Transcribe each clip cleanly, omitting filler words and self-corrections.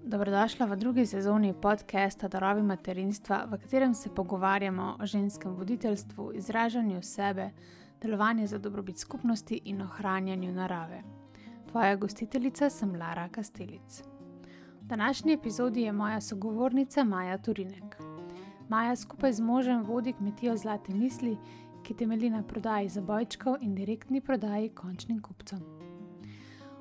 Dobrodošla v drugi sezoni podcasta Darovi materinstva, v katerem se pogovarjamo o ženskem voditeljstvu, izražanju sebe, delovanju za dobrobit skupnosti in ohranjanju narave. Tvoja gostiteljica sem Lara Kastelic. V današnji epizodi je moja sogovornica Maja Turinek. Maja skupaj z možem vodi kmetijo Zlate misli, ki temelji na prodaji zabojčkov in direktni prodaji končnim kupcem.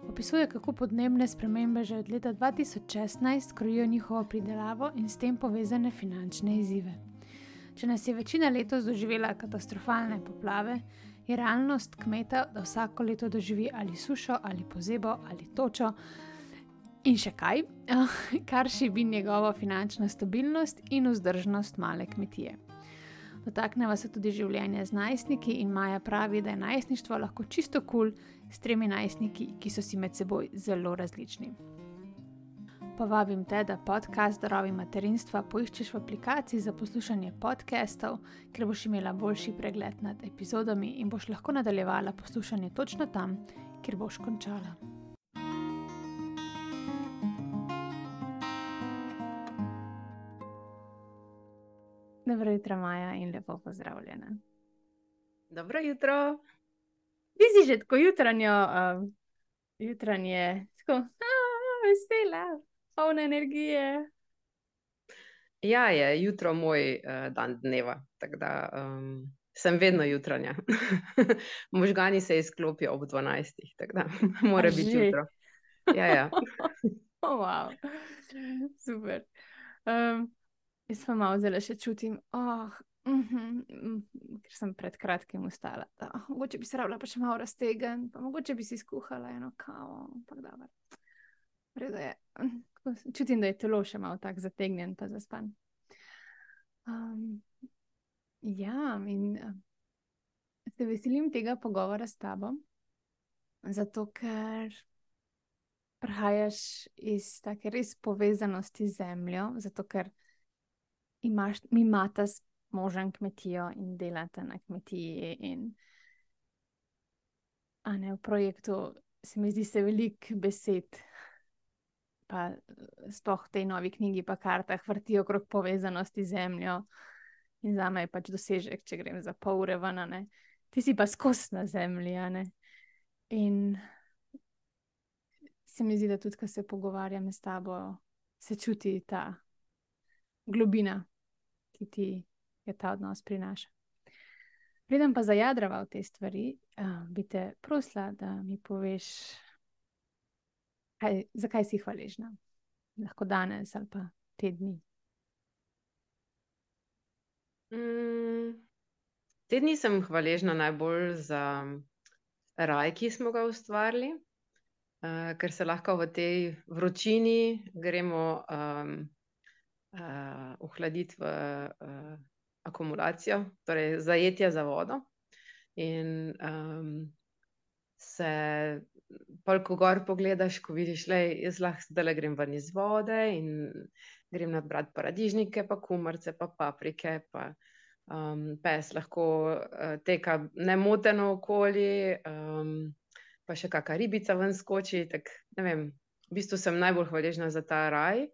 Opisuje, kako podnebne spremembe že od leta 2016 krojijo njihovo pridelavo in s tem povezane finančne izzive. Če nas je večina letos doživela katastrofalne poplave, je realnost kmeta, da vsako leto doživi ali sušo, ali pozebo, ali točo in še kaj, kar šibi njegovo finančno stabilnost in vzdržnost male kmetije. Dotakneva se tudi življenja z najstniki in Maja pravi, da je najstništvo lahko čisto kul s 3 najstniki, ki so si med seboj zelo različni. Povabim te, da podcast Darovi materinstva poiščeš v aplikaciji za poslušanje podcastov, ker boš imela boljši pregled nad epizodami in boš lahko nadaljevala poslušanje točno tam, kjer boš končala. Dobro jutro, Maja, in lepo pozdravljena. Dobro jutro. Ti si že tako jutranje, tako vesela, polna energije. Ja, je jutro moj dan dneva, tako da sem vedno jutranja. Možgani se izklopijo ob 12, tako da mora biti že? jutro. Ja. Wow. Super. Jaz pa malo zdaj še čutim, ker sem pred kratkim ustala, da mogoče bi se rabila pa še malo raztegniti, pa mogoče bi si skuhala eno kavo, ampak dobro. Vredo je, čutim, da je telo še malo tako zategnjen pa zaspan. Ja, in se veselim tega pogovora s tabo, zato ker prihajaš iz take res povezanosti z zemljo, zato ker mi imata s možem kmetijo in delata na kmetiji in v projektu se mi zdi se veliko besed, pa sploh v tej novi knjigi pa kartah vrtijo okrog povezanosti z zemljo in zame je pač dosežek, če grem za pol ure ven, ne. Ti si pa skozi na zemlji, ne. In se mi zdi, da tudi, ko se pogovarjam s tabo, se čuti ta globina, ki ti je ta odnos prinaša. Preden pa zajadrava v te stvari, bi te prosila, da mi poveš, zakaj si hvaležna. Lahko danes ali pa te dni. Te dni sem hvaležna najbolj za raj, ki smo ga ustvarili, ker se lahko v tej vročini gremo ohladiti v akumulacijo, torej zajetje za vodo. In se pol, ko gor pogledaš, ko vidiš, jaz lahko zdaj grem ven iz vode in grem nabrat paradižnike, pa kumarice, pa paprike, pa pes lahko teka nemoteno okoli, pa še kaka ribica ven skoči, tak, ne vem, v bistvu sem najbolj hvaležna za ta raj,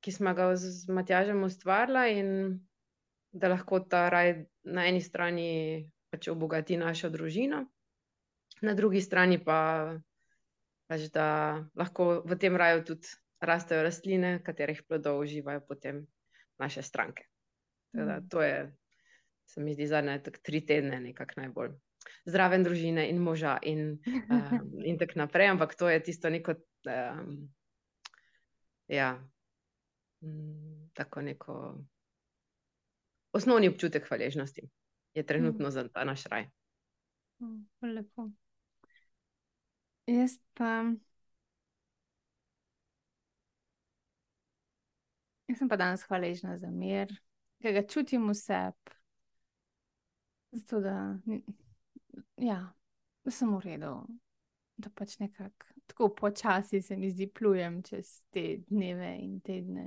ki smo ga z Matjažem ustvarila in da lahko ta raj na eni strani pač obogati našo družino, na drugi strani pa pač, da lahko v tem raju tudi rastejo rastline, katerih plodov uživajo potem naše stranke. Teda, to je, se mi zdi, zadnje tak 3 tedne nekako najbolj zraven družine in moža in tako naprej, ampak to je tisto neko tako neko osnovni občutek hvaležnosti je trenutno za ta naš raj. Lepo. Jaz sem pa danes hvaležna za mir, ker ga čutim v sebi, zato da sem v redu, da pač nekako tako počasi se mi zdi plujem čez te dneve in tedne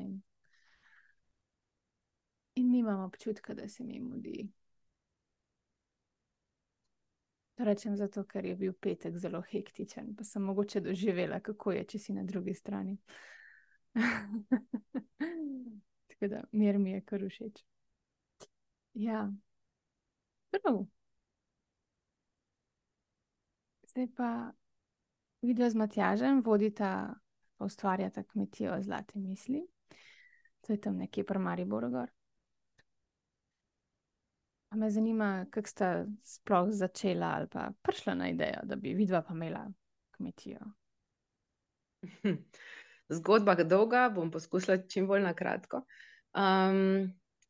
in nimam občutka, da se mi mudi. To rečem zato, ker je bil petek zelo hektičen, pa sem mogoče doživela, kako je, če si na drugi strani. Tako da, mir mi je kar všeč. Ja, prav. Zdaj pa vidva z Matjažem vodita, pa ustvarjata kmetijo Zlate misli. To je tam nekje pri Mariboru gor. Pa me zanima, kako sta sploh začela ali pa prišla na idejo, da bi vidva pa imela kmetijo. Zgodba je dolga, bom poskusila čim bolj na kratko.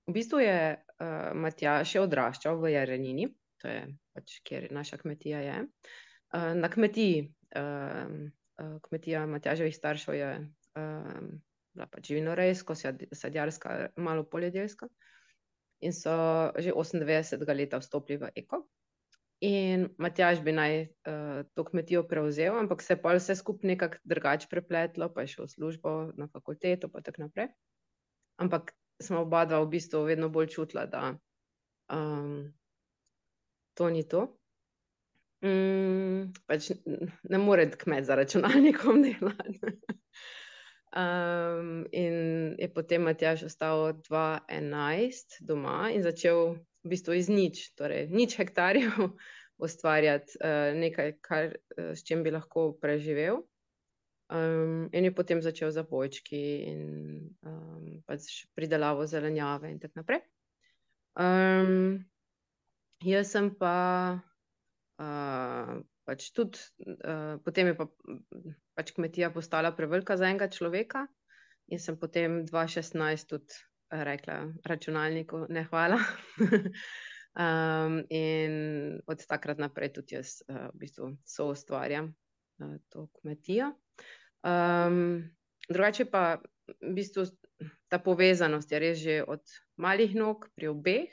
V bistvu je Matjaž še odraščal v Jarenini, to je pač, kjer naša kmetija je. Na kmetiji, kmetija Matjaževih staršev je bila pač živinorejsko, sadjarska, malo poljedelska. In so že 98. leta vstopili v eko. In Matjaž bi naj to kmetijo prevzel, ampak se je pa vse skupaj nekako drugače prepletlo, pa je šel v službo na fakulteto, pa tako naprej. Ampak smo oba dva v bistvu vedno bolj čutila, da to ni to. Pač ne more kmet za računalnikom delati. In je potem Matjaž ostal 2011 doma in začel v bistvu iz nič, torej nič hektarjev ustvarjati nekaj, s čim bi lahko preživel. In je potem začel zabojčki in pač pridelavo zelenjave in tako naprej. Jaz sem pa pač tudi, potem je pa pač kmetija postala prevelika za enega človeka in sem potem 2016 tudi rekla računalniku ne hvala. In od takrat naprej tudi jaz v bistvu soustvarjam to kmetijo. Drugače pa v bistvu ta povezanost je res že od malih nog pri obeh.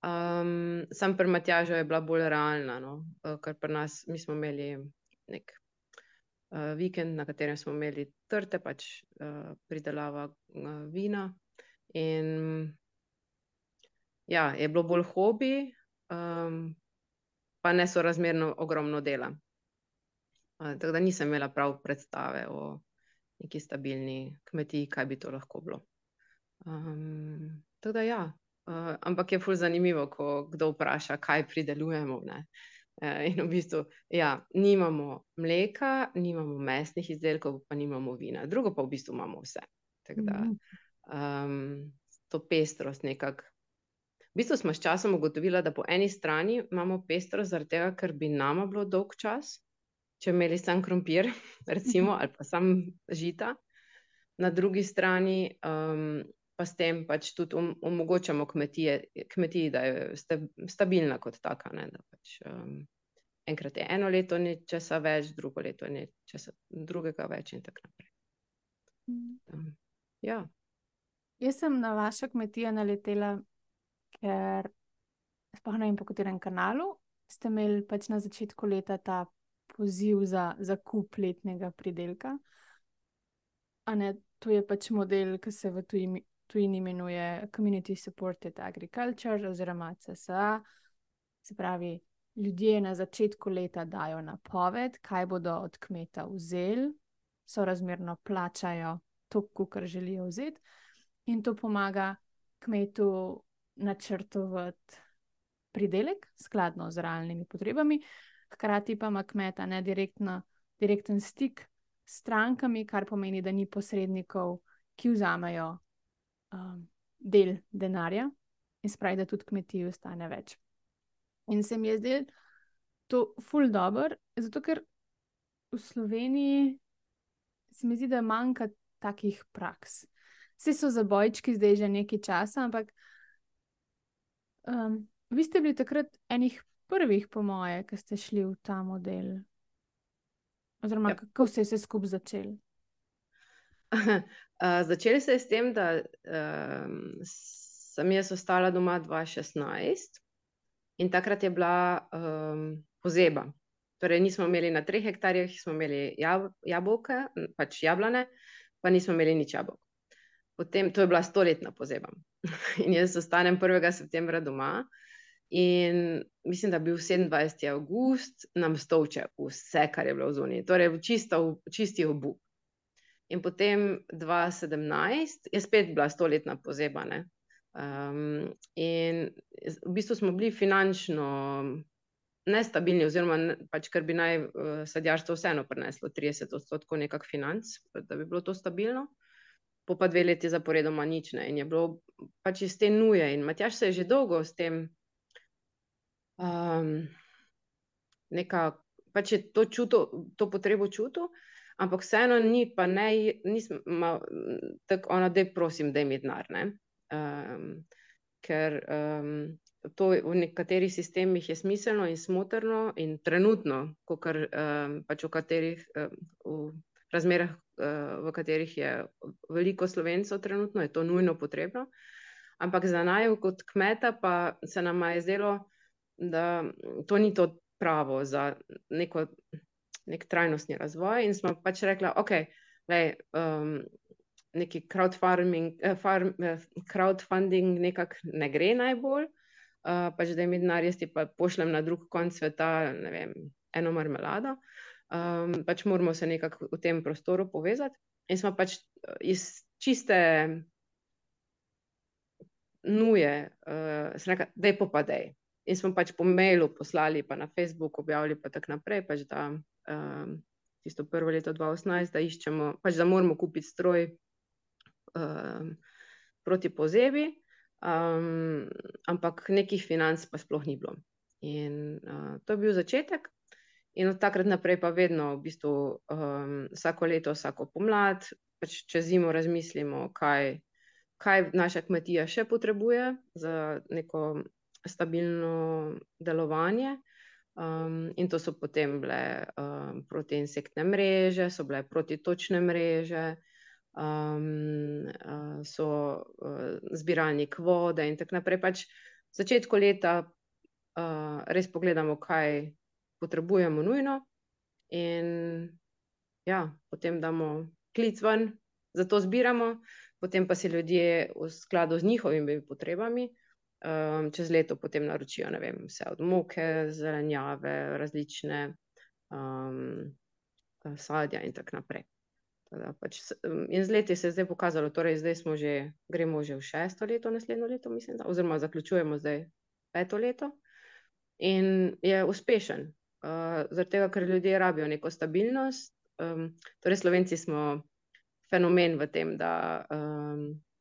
Sam pri Matjažu je bila bolj realna, no? Ker pri nas, mi smo imeli nek vikend, na katerem smo imeli trte, pač pridelava vina. In ja, je bilo bolj hobi, pa nesorazmerno ogromno dela. Tako da nisem imela prav predstave o neki stabilni kmetiji, kaj bi to lahko bilo. Tako da ja, ampak je ful zanimivo, ko kdo vpraša, kaj pridelujemo, ne. In v bistvu, ja, nimamo mleka, nimamo mesnih izdelkov, pa nimamo vina. Drugo pa v bistvu imamo vse. Tako da to pestrost nekako. V bistvu smo s časom ugotovila, da po eni strani imamo pestrost zaradi tega, ker bi nama bilo dolg čas, če imeli sam krompir, recimo, ali pa sam žita. Na drugi strani pa s tem pač tudi omogočamo kmetiji, da je stabilna kot taka, ne, da pač enkrat je eno leto nečesa več, drugo leto je nečesa drugega več in tako naprej. Ja. Jaz sem na vašo kmetijo naletela, ker sploh ne vem, po katerem kanalu ste imeli pač na začetku leta ta poziv za zakup letnega pridelka. A ne, to je pač model, ki se v tujini imenuje Community Supported Agriculture oziroma CSA. Se pravi, ljudje na začetku leta dajo napoved, kaj bodo od kmeta vzeli, sorazmerno plačajo to, kar želijo vzeti, in to pomaga kmetu načrtovati pridelek skladno z realnimi potrebami, hkrati pa ima kmeta direkten stik s strankami, kar pomeni, da ni posrednikov, ki vzamejo del denarja in spravi, da tudi kmetiji ostane več. In se mi je zdelo to ful dobro, zato ker v Sloveniji se mi zdi, da manjka takih praks. Vsi so zabojčki zdaj že nekaj časa, ampak vi ste bili takrat enih prvih, po moje, ki ste šli v ta model. Oziroma, kako se je vse skupaj začelo? Začelo se je s tem, da sem jaz ostala doma 2016 in takrat je bila pozeba. Torej nismo imeli na 3 hektarjih, smo imeli jabolke, pač jablane, pa nismo imeli nič jabolk. Potem, to je bila 100-letna pozeba. In jaz ostanem 1. septembra doma In mislim, da je bil 27. avgust, nam stolče vse, kar je bilo v zoni. Torej, čisti obup. In potem 2017 je spet bila 100-letna pozeba. In v bistvu smo bili finančno nestabilni, oziroma pač, ker bi naj sadjarstvo vseeno prineslo 30% nekak financ, da bi bilo to stabilno. Po pa 2 leti zaporedoma nič ne. In je bilo pač iz te nuje. In Matjaž se je že dolgo s tem pač je to čutil, to potrebo čutil, ampak vseeno ni pa tako ona, daj prosim, daj mi denar, ne. Ker to v nekaterih sistemih je smiselno in smotrno in trenutno, kakor pač v razmerah, v katerih je veliko Slovencev trenutno, je to nujno potrebno. Ampak za naju kot kmeta pa se nama je zdelo, da to ni to pravo za nek trajnostni razvoj, in smo pač rekla, okej, neki crowdfunding nekako ne gre najbolj, pač da mi denar, jaz ti pa pošljem na drug konec sveta, ne vem, eno marmelado, pač moramo se nekako v tem prostoru povezati. In smo pač iz čiste nuje sem rekla, daj popadej. In smo pač po mailu poslali, pa na Facebook objavili, pa tako naprej, pač da tisto prvo leto 2018, da iščemo, pač da moramo kupiti stroj proti pozebi, ampak nekih financ pa sploh ni bilo. In to je bil začetek. In od takrat naprej pa vedno v bistvu vsako leto, vsako pomlad, pač čez zimo razmislimo, kaj naša kmetija še potrebuje za neko stabilno delovanje. In to so potem bile protiinsektne mreže, so bile protitočne mreže, so zbiralnik vode in tako naprej. Pač v začetku leta res pogledamo, kaj potrebujemo nujno, in ja, potem damo klic ven, zato zbiramo, potem pa si ljudje v skladu z njihovimi potrebami čez leto potem naročijo, ne vem, vse od moke, zelenjave, različne sadja in tako naprej. In z leti se je zdaj pokazalo, torej zdaj gremo že v 6. leto, naslednjo leto, mislim, da, oziroma zaključujemo zdaj 5. leto, in je uspešen. Zaradi tega, ker ljudje rabijo neko stabilnost. Torej Slovenci smo fenomen v tem, da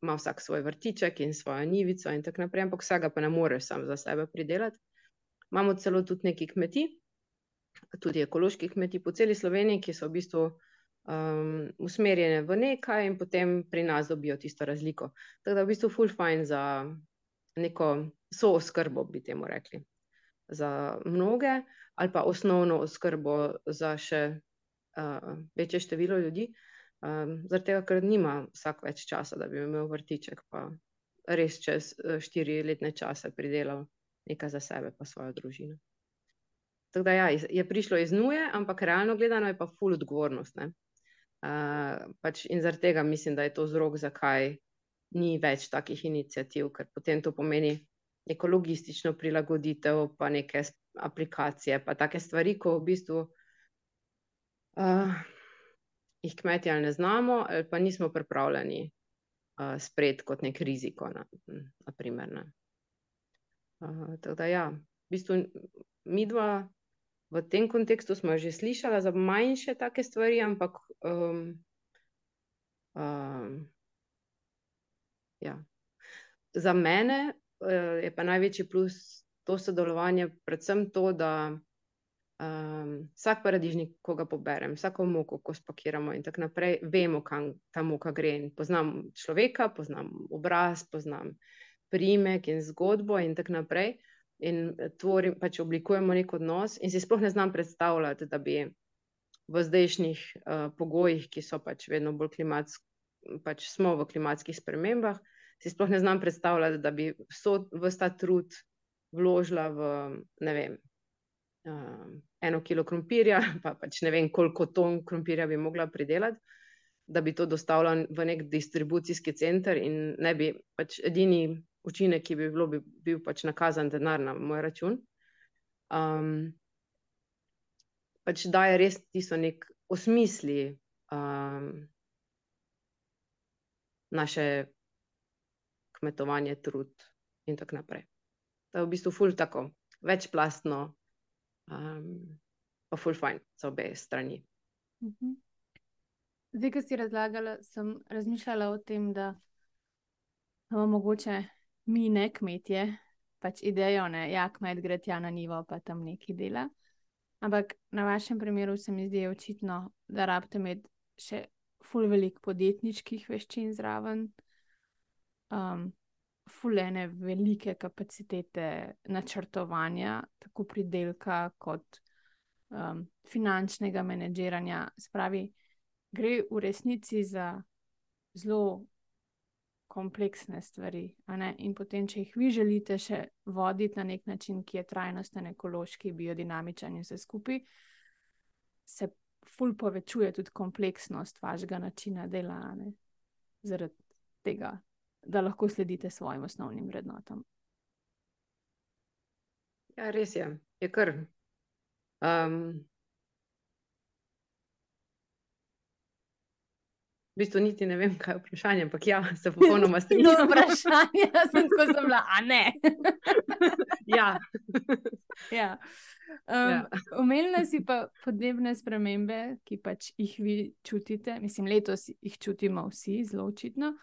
ima vsak svoj vrtiček in svojo njivico in tako naprej, ampak vsega pa ne moreš sam za sebe pridelati. Imamo celo tudi nekaj kmetij, tudi ekoloških kmetij po celi Sloveniji, ki so v bistvu usmerjene v nekaj in potem pri nas dobijo tisto razliko. Tako da v bistvu ful fajn za neko sooskrbo, bi temu rekli, za mnoge, ali pa osnovno oskrbo za še večje število ljudi. Zaradi tega, ker nima vsak več časa, da bi imel vrtiček, pa res čez 4 letne čase pridelal nekaj za sebe pa svojo družino. Tako da ja, je prišlo iz nuje, ampak realno gledano je pa ful odgovornost, ne. Pač in zaradi tega mislim, da je to vzrok, zakaj ni več takih iniciativ, ker potem to pomeni neko logistično prilagoditev, pa neke aplikacije, pa take stvari, ko v bistvu jih kmetje ali ne znamo, ali pa nismo pripravljeni sprejeti kot nek riziko, na primer, ne. Tako da ja, v bistvu midva v tem kontekstu smo že slišala za manjše take stvari, ampak ja. Za mene je pa največji plus to sodelovanje predvsem to, da vsak paradižnik, ko ga poberem, vsako moko, ko spakiramo in tako naprej, vemo, kam ta moka gre, in poznam človeka, poznam obraz, poznam priimek in zgodbo in tako naprej, in pač oblikujemo nek odnos, in si sploh ne znam predstavljati, da bi v zdajšnjih pogojih, ki so pač vedno bolj pač smo v klimatskih spremembah, si sploh ne znam predstavljati, da bi ves ta trud vložila v, ne vem, 1 kilo krompirja, pa pač ne vem, koliko ton krompirja bi mogla pridelati, da bi to dostavila v nek distribucijski center, in ne bi, pač edini učinek, ki bi bil pač nakazan denar na moj račun. Pač daje res tisto nek osmisli naše kmetovanje, trud in tako naprej. To je v bistvu ful tako, večplastno, pa ful fajn za obe strani. Zdaj, ko si razlagala, sem razmišljala o tem, da mogoče mi ne kmetje, pač idejo, ne, ja, kmet gre tja na njivo, pa tam nekaj dela. Ampak na vašem primeru se mi zdi očitno, da rabite imeti še ful veliko podjetniških veščin zraven, ful ene velike kapacitete načrtovanja, tako pridelka kot finančnega menedžiranja. Spravi, gre v resnici za zelo kompleksne stvari, a ne? In potem, če jih vi želite še voditi na nek način, ki je trajnosten, ekološki, biodinamičen in vse skupaj, se ful povečuje tudi kompleksnost vašega načina dela, a ne? Zaradi tega, da lahko sledite svojim osnovnim vrednotam. Ja, res je. Je kar. V bistvu niti ne vem, kaj je vprašanje, ampak ja, se popolnoma strinjam. Vprašanje, sem tako sem bila, a ne? Ja. Ja. Omenila si pa podnebne spremembe, ki pač jih vi čutite. Mislim, letos jih čutimo vsi, zelo očitno.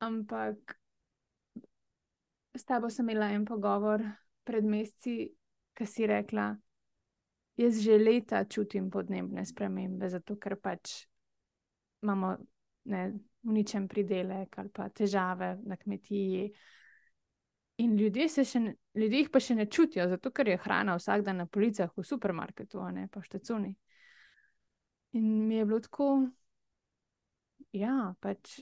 Ampak s tabo sem imela en pogovor pred meseci, ki si rekla, jaz že leta čutim podnebne spremembe, zato ker pač imamo uničen pridelek ali pa težave na kmetiji. In ljudje jih pa še ne čutijo, zato ker je hrana vsak dan na policah v supermarketu, a ne pa v štacuni. In mi je bilo tako, ja, pač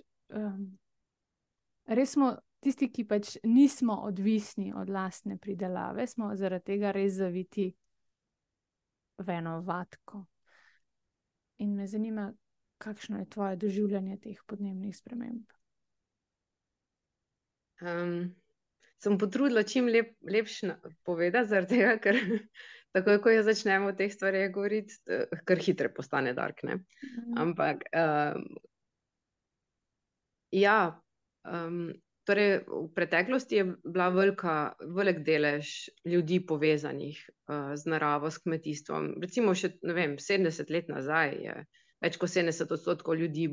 res smo tisti, ki pač nismo odvisni od lastne pridelave, smo zaradi tega res zaviti v eno vatko. In me zanima, kakšno je tvoje doživljanje teh podnebnih sprememb? Sem potrudila čim lepše povedati, zaradi tega, ker takoj, ko jo začnemo o teh stvareh govoriti, kar hitro postane dark, ne? Ampak, ja, torej v preteklosti je bila velik delež ljudi povezanih z naravo, s kmetijstvom. Recimo še, ne vem, 70 let nazaj je več kot 70% ljudi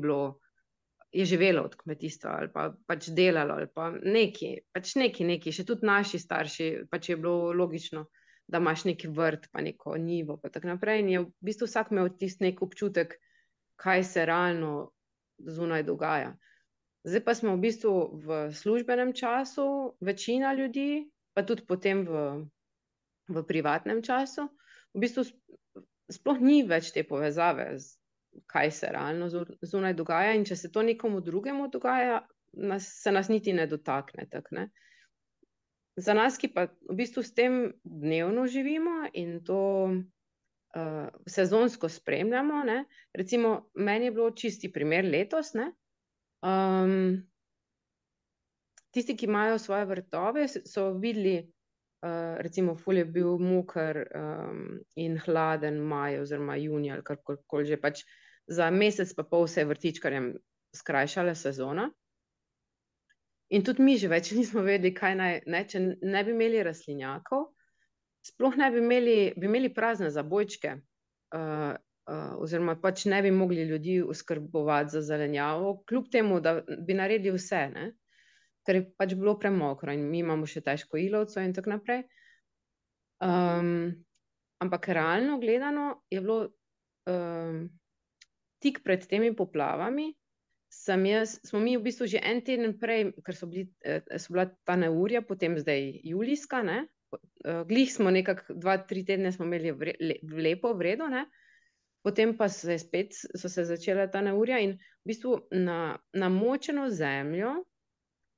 je živelo od kmetijstva ali pa pač delalo ali pa neki, še tudi naši starši, pač je bilo logično, da imaš neki vrt pa neko njivo pa tako naprej in je v bistvu vsak imel tisti nek občutek, kaj se realno zunaj dogaja. Zdaj pa smo v bistvu v službenem času, večina ljudi, pa tudi potem v privatnem času, v bistvu sploh ni več te povezave kaj se realno zunaj dogaja in če se to nekomu drugemu dogaja, se nas niti ne dotakne, tako, ne. Za nas, ki pa v bistvu s tem dnevno živimo in to sezonsko spremljamo, ne, recimo meni je bilo čisti primer letos, ne, tisti, ki imajo svoje vrtove, so videli, recimo ful je bil moker in hladen maj oziroma junij ali karkoli že, pač za mesec pa pol se je vrtičkarjem skrajšala sezona. In tudi mi že več nismo vedeli, kaj naj, če ne bi imeli rastlinjakov, sploh ne bi imeli prazne zabojčke, oziroma pač ne bi mogli ljudi oskrbovati za zelenjavo, kljub temu, da bi naredili vse, ne. Ker je pač bilo premokro in mi imamo še težko ilovco in tako naprej. Ampak realno gledano je bilo tik pred temi poplavami, smo mi v bistvu že en teden prej, ker so bila ta neurja, potem zdaj julijska, ne, glih smo nekako 2-3 tedne smo imeli lepo, v redu, ne, potem pa so se začela ta neurja in v bistvu na namočeno zemljo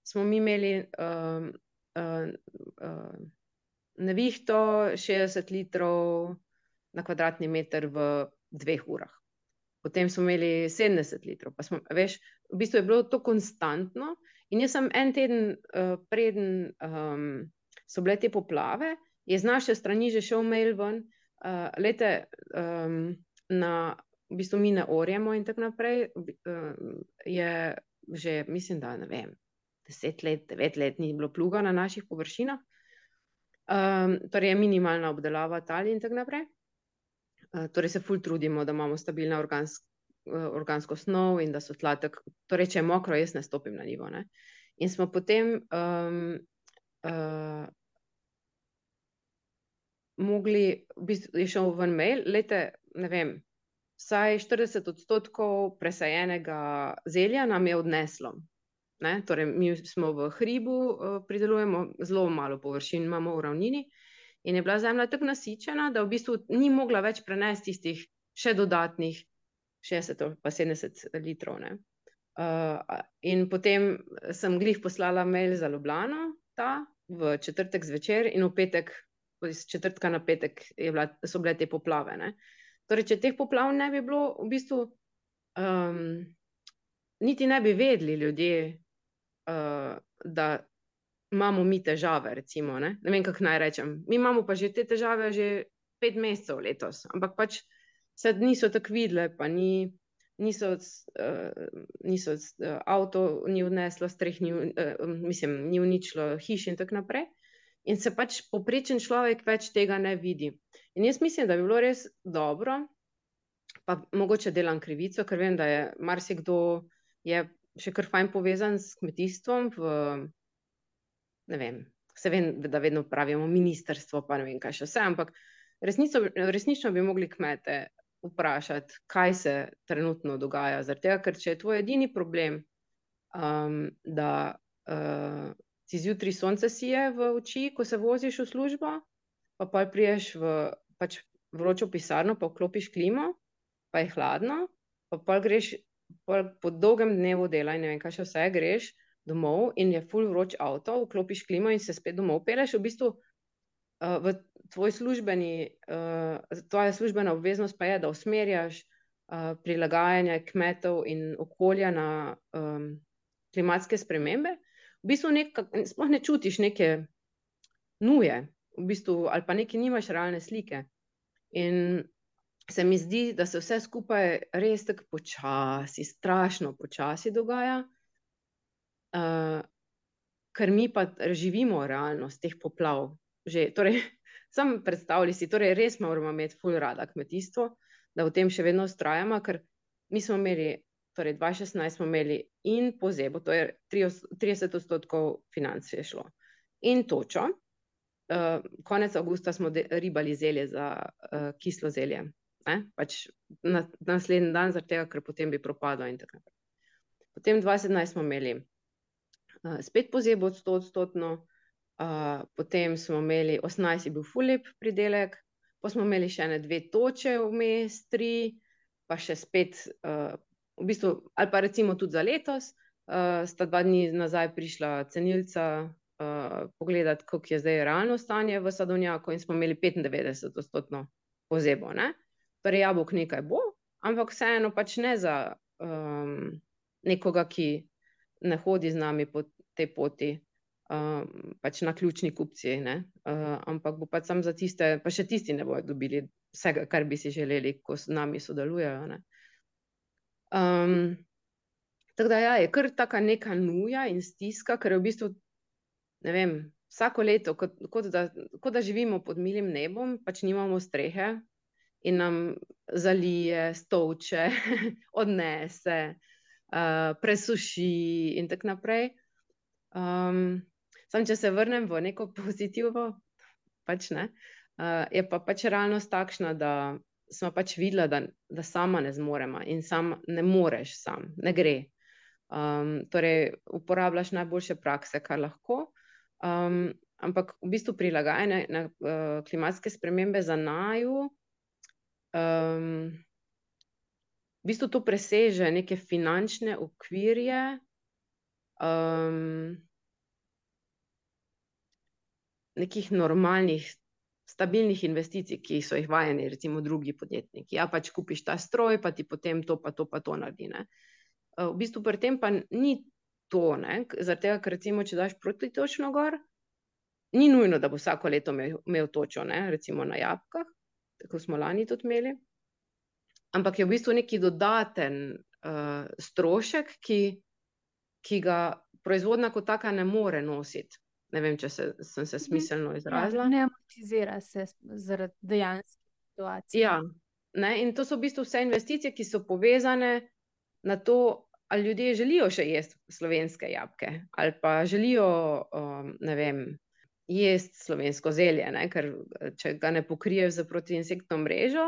smo mi imeli nevihto 60 litrov na kvadratni meter v 2 urah. Potem smo imeli 70 litrov, pa veš, v bistvu je bilo to konstantno In jaz sem en teden preden so bile te poplave, je z naše strani že šel mail ven, v bistvu mi ne orjemo in tako naprej, je že, mislim, da ne vem, 10 let, 9 let ni bilo pluga na naših površinah, torej je minimalna obdelava tal in tako naprej. Torej se ful trudimo, da imamo stabilno organsko snov in da so tla torej če je mokro, jaz ne stopim na njivo, ne. In smo potem mogli, v bistvu je šel ven mail, glejte, ne vem, vsaj 40% presajenega zelja nam je odneslo, ne, torej mi smo v hribu, pridelujemo, zelo malo površin imamo v ravnini in je bila zemlja tako nasičena, da v bistvu ni mogla več prenesti tistih še dodatnih 60 ali pa 70 litrov, ne. In potem sem glih poslala mail za Ljubljano, v četrtek zvečer in v petek, iz četrtka na petek so bile te poplave, ne. Torej, če teh poplav ne bi bilo, v bistvu niti ne bi vedeli ljudje, da imamo mi težave, recimo, ne vem, kako naj rečem, mi imamo pa že te težave že 5 mesecev letos, ampak pač se niso tako videle, pa niso avto ni odneslo, streh mislim, ni uničilo hiš in tako naprej. In se pač povprečen človek več tega ne vidi. In jaz mislim, da bi bilo res dobro, pa mogoče delam krivico, ker vem, da je marsikdo je še kar fajn povezan s kmetijstvom ne vem, se vem, da vedno pravimo ministrstvo, pa ne vem, kaj še vse, ampak resnično bi mogli kmete vprašati, kaj se trenutno dogaja, zaradi tega, ker če je tvoj edini problem, da ti zjutraj sonce sije v oči, ko se voziš v službo, pa pol prideš v pač vročo pisarno, pa vklopiš klimo, pa je hladno, pa pol greš po dolgem dnevu dela in ne vem, kaj še vse, greš domov in je ful vroč avto, vklopiš klimo in se spet domov pelješ, v bistvu tvoja službena obveznost pa je, da usmerjaš prilagajanje kmetov in okolja na klimatske spremembe, v bistvu sploh ne čutiš neke nuje, v bistvu, ali pa neke nimaš realne slike. In se mi zdi, da se vse skupaj res tako počasi, strašno počasi dogaja, ker mi pa živimo realnost teh poplav že, torej, samo predstavljaj si, torej res moramo imeti ful rada kmetijstvo, da v tem še vedno vztrajamo, ker mi smo imeli, torej 2016 smo imeli in pozebo, to je 30% financ je šlo, in točo, konec avgusta smo ribali zelje za kislo zelje, ne, pač naslednji dan, zaradi tega, ker potem bi propadlo in tako naprej. Potem 2017 smo imeli spet pozebo 100%, potem smo imeli 18 je bil ful lep pridelek, pa smo imeli še ene 2 toče vmes, 3, pa še spet v bistvu, ali pa recimo tudi za letos, sta 2 dni nazaj prišla cenilca pogledat, kako je zdaj realno stanje v sadovnjaku, in smo imeli 95% pozebo, ne. Torej jabolk nekaj bo, ampak vseeno pač ne za nekoga, ki ne hodi z nami po tej poti, pač naključni kupci, ne, ampak bo pač samo za tiste, pa še tisti ne bojo dobili vsega, kar bi si želeli, ko z nami sodelujejo, ne. Tako da ja, je kar taka neka nuja in stiska, ker je v bistvu, ne vem, vsako leto, kot da živimo pod milim nebom, pač nimamo strehe in nam zalije, stolče, odnese, presuši in tako naprej. Samo če se vrnem v neko pozitivo, pač ne, je pa pač realnost takšna, da smo pač videla, da sama ne zmoremo in sam ne moreš sam, ne gre. Torej uporabljaš najboljše prakse, kar lahko, ampak v bistvu prilagajanje na klimatske spremembe za naju, v bistvu to preseže neke finančne okvirje, nekih normalnih, stabilnih investicij, ki so jih vajeni recimo drugi podjetniki. Ja, pač kupiš ta stroj, pa ti potem to pa to pa to naredi, ne. V bistvu pri tem pa ni to, ne? Zaradi tega, ker recimo, če daš protitočno gor, ni nujno, da bo vsako leto imel točo, ne? Recimo na jabolkah, tako smo lani tudi imeli, ampak je v bistvu neki dodaten strošek, ki ga proizvodnja kot taka ne more nositi. Ne vem, če sem se smiselno izrazila. Ne amortizira se zaradi dejanske situacije. Ja, ne, in to so v bistvu vse investicije, ki so povezane na to, ali ljudje želijo še jesti slovenske jabolke, ali pa želijo, ne vem, jesti slovensko zelje, ne, ker če ga ne pokriješ z protiinsektno mrežo,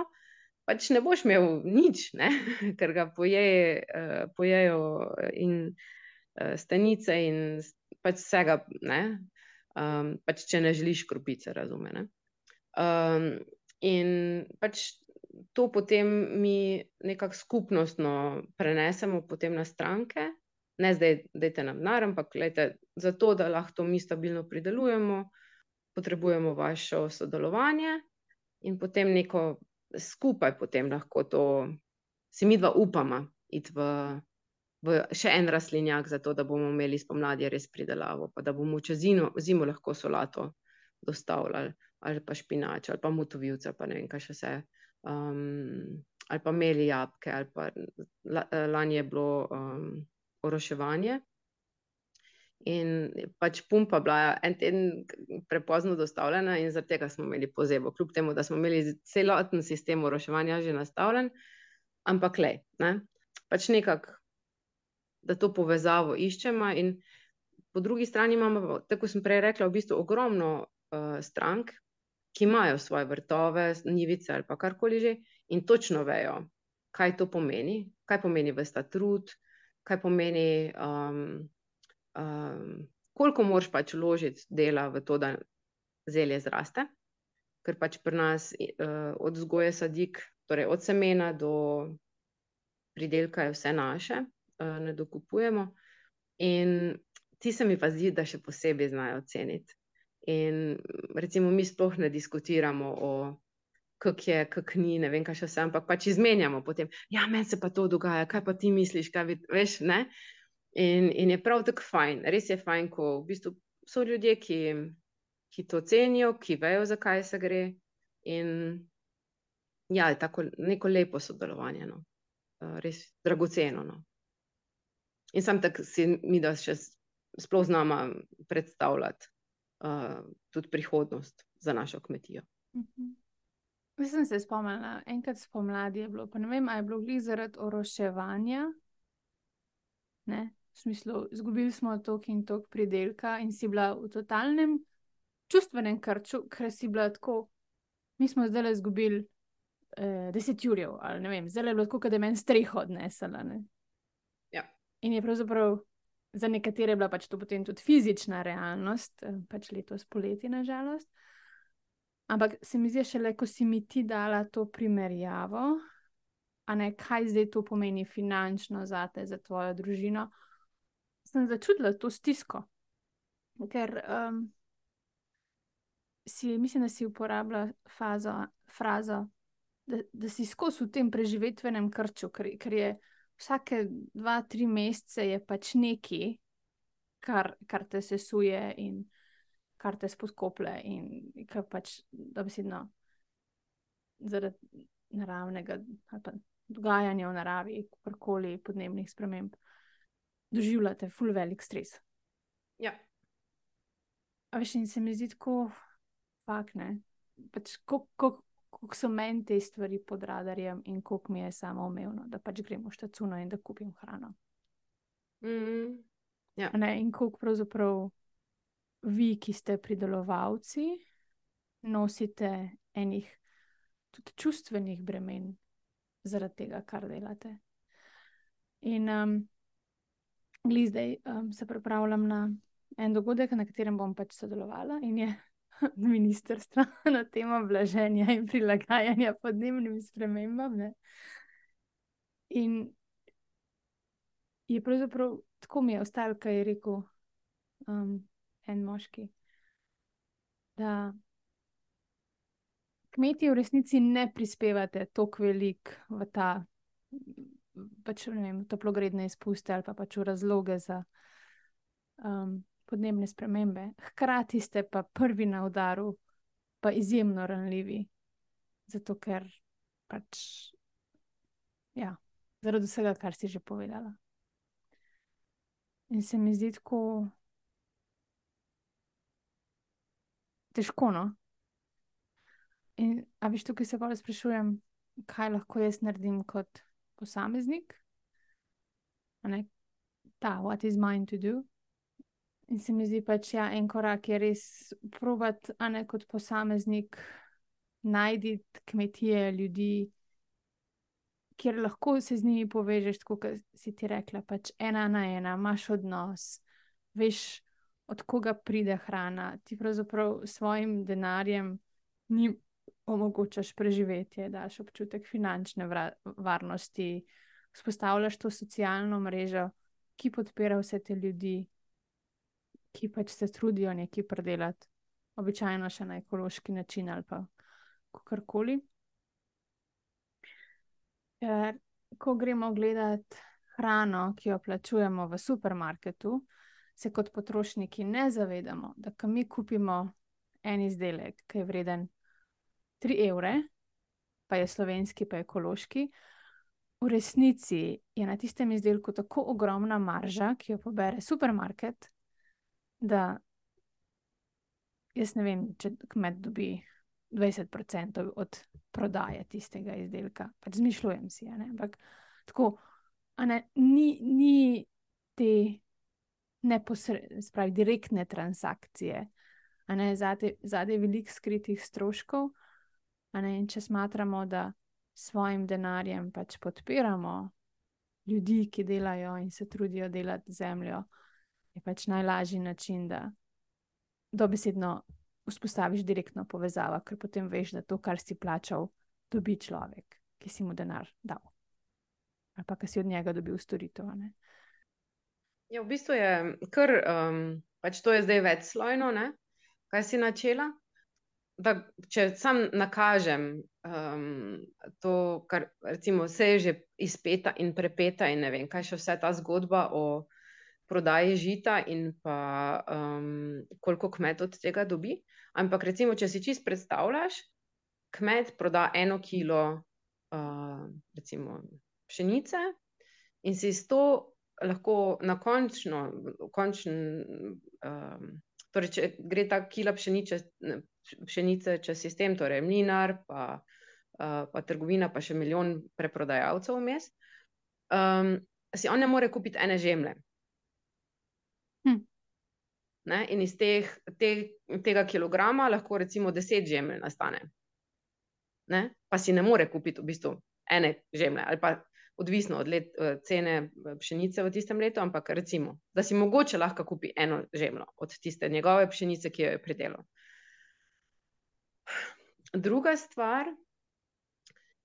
pač ne boš imel nič, ne, ker ga pojejo in stenice in pač vsega, ne, pač če ne želiš kropice, razume, ne. In pač to potem mi nekako skupnostno prenesemo potem na stranke, ne zdaj dajte nam denar, ampak glejte, zato, da lahko to mi stabilno pridelujemo, potrebujemo vašo sodelovanje in potem neko skupaj potem lahko to, si midva upama iti v še en rastlinjak, zato da bomo imeli spomladi res pridelavo, pa da bomo čez zimo lahko solato dostavljali, ali pa špinač, ali pa motovilce, pa ne vem, kaj še vse. Ali pa imeli jabolke, ali pa lani je bilo oroševanje. In pač pumpa bila en teden prepozno dostavljena in zaradi tega smo imeli pozebo, kljub temu, da smo imeli celoten sistem oroševanja že nastavljen, ampak glej, ne, pač nekako, da to povezavo iščemo in po drugi strani imamo, tako sem prej rekla, v bistvu ogromno strank, ki imajo svoje vrtove, njivice ali pa karkoli že in točno vejo, kaj to pomeni, kaj pomeni ves ta trud, kaj pomeni, koliko moraš pač vložiti dela v to, da zelje zraste, ker pač pri nas od vzgoje sadik, torej od semena do pridelka je vse naše, ne dokupujemo in ti se mi pa zdi, da še posebej znajo ceniti. In recimo mi sploh ne diskutiramo o kako je, kako ni, ne vem, kaj še vse, ampak pač izmenjamo potem, ja, meni se pa to dogaja, kaj pa ti misliš, kaj veš, ne? In je prav tako fajn, res je fajn, ko v bistvu so ljudje, ki to cenijo, ki vejo, za kaj se gre in ja, je tako neko lepo sodelovanje, no. Res dragoceno, no. In samo tako si mi da še sploh z nama predstavljati tudi prihodnost za našo kmetijo. Mislim, se spomnila, enkrat spomladi je bilo, pa ne vem, a je bilo glih zaradi oroševanja, ne, v smislu, izgubili smo toliko in toliko pridelka in si bila v totalnem čustvenem krču, ker si bila tako, mi smo zdaj izgubili 10 jurjev, ali ne vem, zdaj je bilo tako, da je meni streho odnesela, ne. Ja. In je pravzaprav za nekatere je bila pač to potem tudi fizična realnost, pač letos poleti, na žalost. Ampak se mi zdi šele, ko si mi ti dala to primerjavo, a ne, kaj zdaj to pomeni finančno zate, za tvojo družino, sem začutila to stisko. Ker mislim, da si uporabila frazo, da si skozi v tem preživetvenem krču, ker je vsake 2-3 mesece je pač nekaj, kar te sesuje in kar te spodkoplje in kar pač dobesedno zaradi naravnega ali pa dogajanja v naravi, karkoli podnebnih sprememb, doživljate ful velik stres. Ja. A veš, in se mi zdi tako, fakt, ne, pač koliko so meni te stvari pod radarjem in koliko mi je samoumevno, da pač grem v štacuno in da kupim hrano. Ja. Ne, in koliko pravzaprav vi, ki ste pridelovalci, nosite enih tudi čustvenih bremen zaradi tega, kar delate. In glih zdaj se pripravljam na en dogodek, na katerem bom pač sodelovala in je ministrstva na temo blaženja in prilagajanja podnebnim spremembam, ne. In je pravzaprav, tako mi je ostalo, kaj je rekel en moški, da kmetje v resnici ne prispevate toliko velik v ta, pač ne vem, toplogredne izpuste ali pa pač v razloge za podnebne spremembe, hkrati ste pa prvi na udaru, pa izjemno ranljivi. Zato, ker pač, ja, zaradi vsega, kar si že povedala. In se mi zdi tako težko, no. In a veš, tukaj se bolj sprašujem, kaj lahko jaz naredim kot posameznik, a ne, what is mine to do. In se mi zdi pač, ja, en korak je res probati, a ne, kot posameznik najti kmetije, ljudi, kjer lahko se z njimi povežeš, tako kot si ti rekla, pač 1 na 1, imaš odnos, veš, od koga pride hrana, ti pravzaprav s svojim denarjem njim omogočaš preživetje, daš občutek finančne varnosti, vzpostavljaš to socialno mrežo, ki podpira vse te ljudi, ki pač se trudijo nekaj pridelati, običajno še na ekološki način ali pa kakorkoli. Ker ko gremo gledati hrano, ki jo plačujemo v supermarketu, se kot potrošniki ne zavedamo, da ko mi kupimo en izdelek, ki je vreden 3 evre, pa je slovenski, pa je ekološki, v resnici je na tistem izdelku tako ogromna marža, ki jo pobere supermarket, da jaz ne vem, če kmet dobi 20% od prodaje tistega izdelka. Pač zmišljujem si, a ne, ampak tako, a ne, ni te spravi, direktne transakcije, a ne, zadaj veliko skritih stroškov, a ne, in če smatramo, da svojim denarjem pač podpiramo ljudi, ki delajo in se trudijo delati zemljo, je pač najlažji način, da dobesedno vzpostaviš direktno povezavo, ker potem veš, da to, kar si plačal, dobi človek, ki si mu denar dal. Ali pa, ki si od njega dobil storitev, a ne. Ja, v bistvu je kar, pač to je zdaj večslojno, ne, kaj si načela. Da, če sam nakažem to, kar recimo se je že izpeta in prepeta in ne vem, kaj še vse ta zgodba o prodaji žita in pa koliko kmet od tega dobi. Ampak recimo, če si čisto predstavljaš, kmet proda 1 kilo recimo pšenice in si s to lahko na torej, če gre ta kila pšenice čez sistem, torej mlinar, pa trgovina, pa še milijon preprodajalcev vmes, si on ne more kupiti 1 žemlje. Ne? In iz tega kilograma lahko recimo 10 žemlj nastane. Ne? Pa si ne more kupiti v bistvu 1 žemlje, ali pa odvisno od cene pšenice v tistem letu, ampak recimo, da si mogoče lahko kupi 1 žemljo od tiste njegove pšenice, ki jo je pridelal. Druga stvar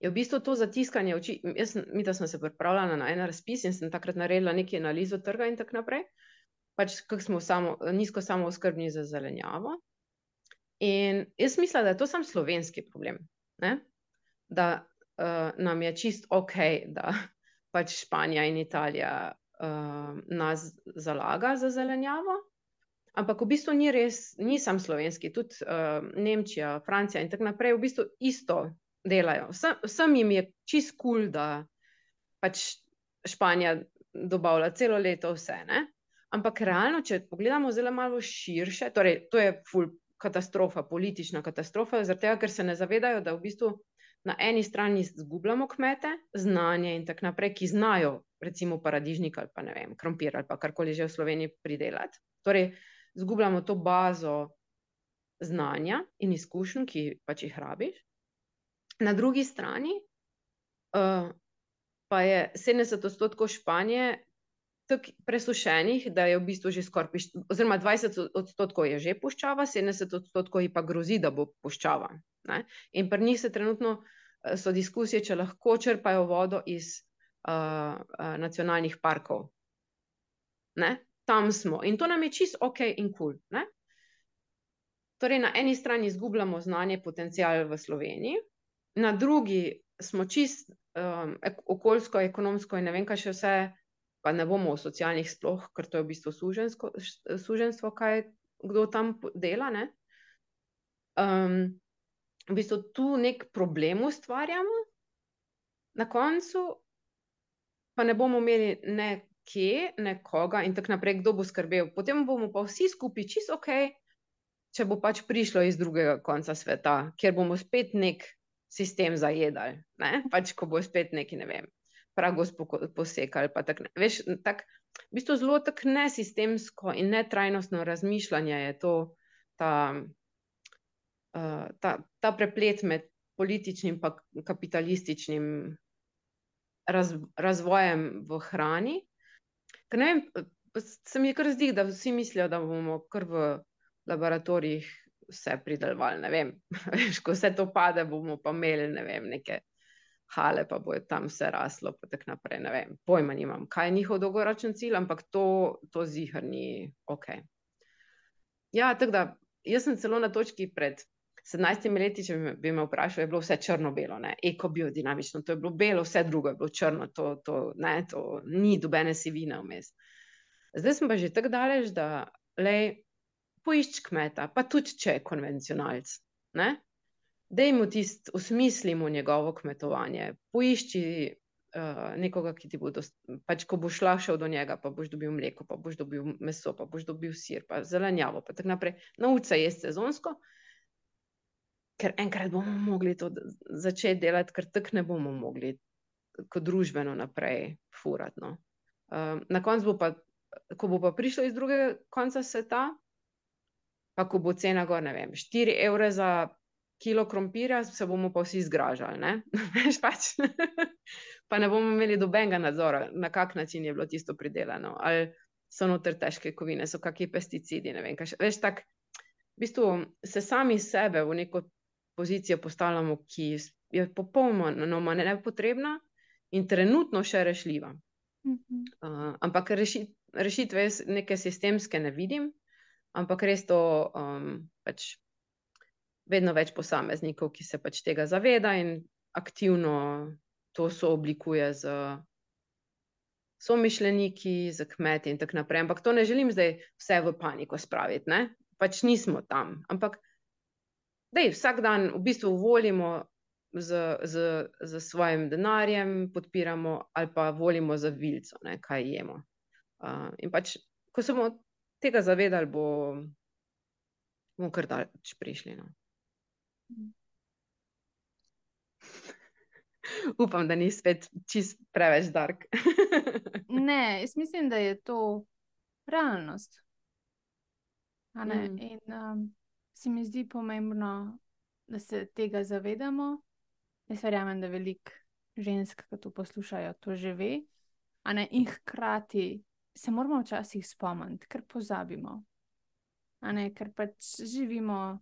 je v bistvu to zatiskanje oči. Midva smo se pripravljala na en razpis in sem takrat naredila nekaj analizo trga in tako naprej. Pač kako smo nizko samooskrbni za zelenjavo. In jaz mislim, da je to samo slovenski problem, ne? Da nam je čist okej, da pač Španija in Italija nas zalaga za zelenjavo, ampak v bistvu ni res, ni samo slovenski, tudi Nemčija, Francija in tako naprej v bistvu isto delajo. Vsem jim je čist cool, da pač Španija dobavlja celo leto vse, ne? Ampak realno, če pogledamo zelo malo širše, torej to je ful katastrofa, politična katastrofa, zaradi tega, ker se ne zavedajo, da v bistvu na eni strani zgubljamo kmete, znanje in tako naprej, ki znajo recimo paradižnik ali pa ne vem, krompir ali pa karkoli že v Sloveniji pridelati. Torej, zgubljamo to bazo znanja in izkušenj, ki pač jih rabiš. Na drugi strani pa je 70% Španije tako presušenih, da je v bistvu že skoraj, oziroma 20% je že puščava, 70% ji pa grozi, da bo puščava. Ne? In pri njih se trenutno so diskusije, če lahko črpajo vodo iz nacionalnih parkov. Ne? Tam smo. In to nam je čisto okej in cool. Ne? Torej, na eni strani izgubljamo znanje, potencial v Sloveniji, na drugi smo čisto okoljsko, ekonomsko in ne vem, kaj še vse pa ne bomo o socialnih sploh, ker to je v bistvu suženjstvo, kaj kdo tam dela, ne? V bistvu tu nek problem ustvarjamo, na koncu pa ne bomo imeli ne kje, ne koga in tako naprej, kdo bo skrbel. Potem bomo pa vsi skupaj čisto okej, če bo pač prišlo iz drugega konca sveta, kjer bomo spet nek sistem zajedali, ne? Pač ko bo spet neki, ne vem, pragos posekali, pa tako ne. Veš, tak, v bistvu zelo tako nesistemsko in netrajnostno razmišljanje je to, ta preplet med političnim pa kapitalističnim razvojem v hrani. Ker ne vem, se mi kar zdi, da vsi mislijo, da bomo kar v laboratorijih vse pridelovali, ne vem. Veš, ko vse to pade, bomo pa imeli, ne vem, neke hale, pa bo tam vse raslo, pa tako naprej, ne vem. Pojma nimam, kaj je njihov dolgoročen cilj, ampak to ziher ni okej. Ja, tako da, jaz sem celo na točki pred 17 leti, če bi me vprašal, je bilo vse črno-belo, ne, ekobiodinamično, to je bilo belo, vse drugo je bilo črno, to ni dobene sivine vmes. Zdaj sem pa že tako daleč, da, lej, poišči kmeta, pa tudi če je konvencionalc, ne, dajmo osmislimo njegovo kmetovanje, poišči nekoga, ki ti bo, pač ko boš šel do njega, pa boš dobil mleko, pa boš dobil meso, pa boš dobil sir, pa zelenjavo, pa tako naprej, nauči se jesti sezonsko, ker enkrat bomo mogli to začeti delati, ker tako ne bomo mogli kot družbeno naprej furati, no. Na koncu bo pa, ko bo pa prišlo iz drugega konca sveta, pa ko bo cena gor, ne vem, 4 evre za kilo krompirja, se bomo pa vsi zgražali, ne. Veš, pač. Pa ne bomo imeli nobenega nadzora, na kak način je bilo tisto pridelano, ali so noter težke kovine, so kaki pesticidi, ne vem, kaj še. Veš, tako, v bistvu se sami sebe v neko pozicijo postavljamo, ki je popolnoma nepotrebna in trenutno še rešljiva. Ampak rešitve jaz neke sistemske ne vidim, ampak res to pač vedno več posameznikov, ki se pač tega zaveda in aktivno to sooblikuje z somišljeniki, z kmeti in tako naprej. Ampak to ne želim zdaj vse v paniko spraviti, ne? Pač nismo tam, ampak dej, vsak dan v bistvu volimo z svojim denarjem, podpiramo ali pa volimo za vilico, ne, kaj jemo. In pač, ko se bomo tega zavedali, bomo kar daleč prišli, no. Upam, da ni spet čisto preveč dark. Ne, jaz mislim, da je to realnost. A ne? In se mi zdi pomembno, da se tega zavedamo. Jaz verjamem, da veliko žensk, ki to poslušajo, to že ve. A ne? In hkrati se moramo včasih spomniti, ker pozabimo. A ne? Ker pač živimo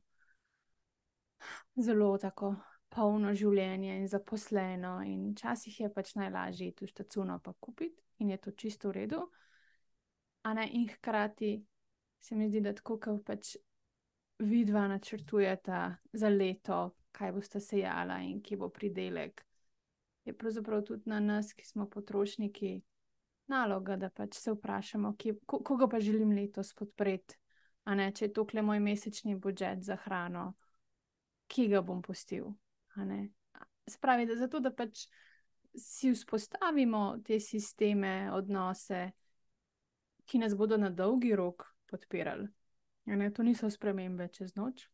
zelo tako polno življenje in zaposleno in včasih je pač najlažje iti v štacuno pa kupiti in je to čisto v redu. A ne? In hkrati se mi zdi, da tako, kot pač vidva načrtujeta za leto, kaj boste sejala in kje bo pridelek, je pravzaprav tudi na nas, ki smo potrošniki, naloga, da pač se vprašamo, koga pa želim letos podpreti. A ne? Če je tokle moj mesečni budžet za hrano, kje ga bom pustil? A ne? Se pravi, da zato, da pač si vzpostavimo te sisteme, odnose, ki nas bodo na dolgi rok podpirali. To niso spremembe čez noč.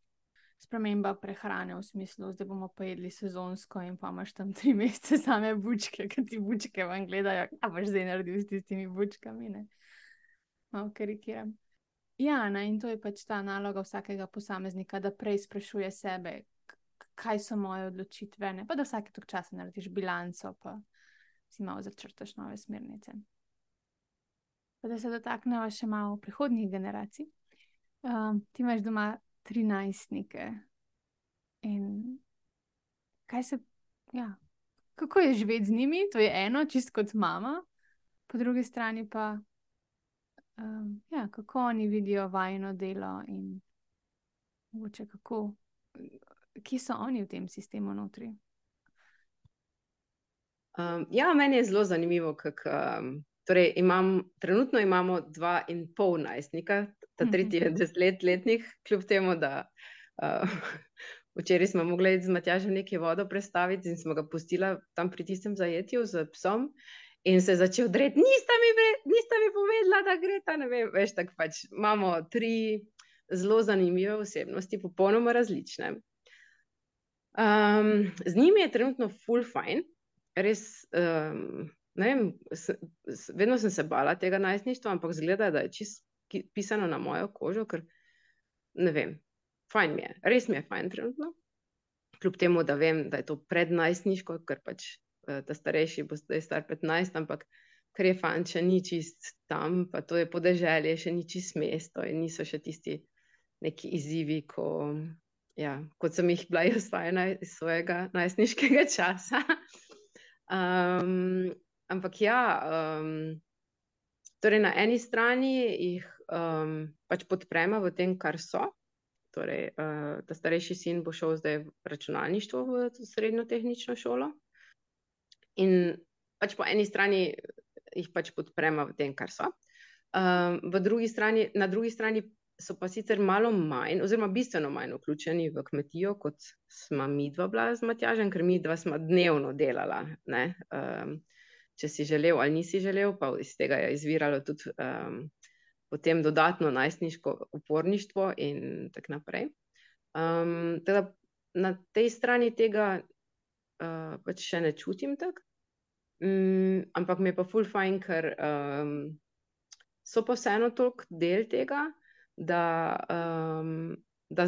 Sprememba prehrane v smislu, zdaj bomo pa jedli sezonsko in pa imaš tam 3 mesece same bučke, ker ti bučke vam gledajo, kaj boš zdaj naredil s tistimi bučkami, ne? Malo karikiram. Ja, ne, in to je pač ta naloga vsakega posameznika, da prej sprašuje sebe, kaj so moje odločitve, ne? Pa da vsake toliko časa narediš bilanco, pa si malo začrtaš nove smernice. Pa da se dotakneva še malo prihodnjih generacij. Ti imaš doma 13-nike. In kako je živeti z njimi? To je eno, čisto kot mama. Po drugi strani pa, kako oni vidijo vajino delo in mogoče kako, kje so oni v tem sistemu notri? Ja, meni je zelo zanimivo, kako Torej, trenutno imamo 2,5 najstnika, ta tretji je 10-letnik, kljub temu, da včeraj smo mogli iti z Matjažem nekaj vodo prestaviti in smo ga pustila tam pri tistem zajetju z psom in se je začel dreti, nista mi povedala, da gre ta, ne vem, veš, tako pač imamo 3 zelo zanimive osebnosti, popolnoma različne. Z njimi je trenutno ful fajn, res, ne vem, vedno sem se bala tega najstništva, ampak zgleda, da je čisto pisano na mojo kožo, ker ne vem, fajn mi je, res mi je fajn trenutno, kljub temu, da vem, da je to prednajstniško, ker pač ta starejši bo zdaj star 15, ampak ker je fajn, če ni čist tam, pa to je podeželje, še ni čist mesto in niso še tisti neki izzivi, kot sem jih bila jaz vajena iz svojega najstniškega časa. Ampak ja, torej na eni strani jih pač podprema v tem, kar so. Torej, ta starejši sin bo šel zdaj v računalništvo v srednjo tehnično šolo. In pač po eni strani jih pač podprema v tem, kar so. Na drugi strani so pa sicer malo manj, oziroma bistveno manj vključeni v kmetijo, kot sva midva bila z Matjažem, ker midva sva dnevno delala, ne. Če si želel ali nisi želel, pa iz tega je izviralo tudi potem dodatno najstniško uporništvo in tako naprej. Teda na tej strani tega pač še ne čutim tako, ampak mi je pa ful fajn, ker so pa vseeno toliko del tega, da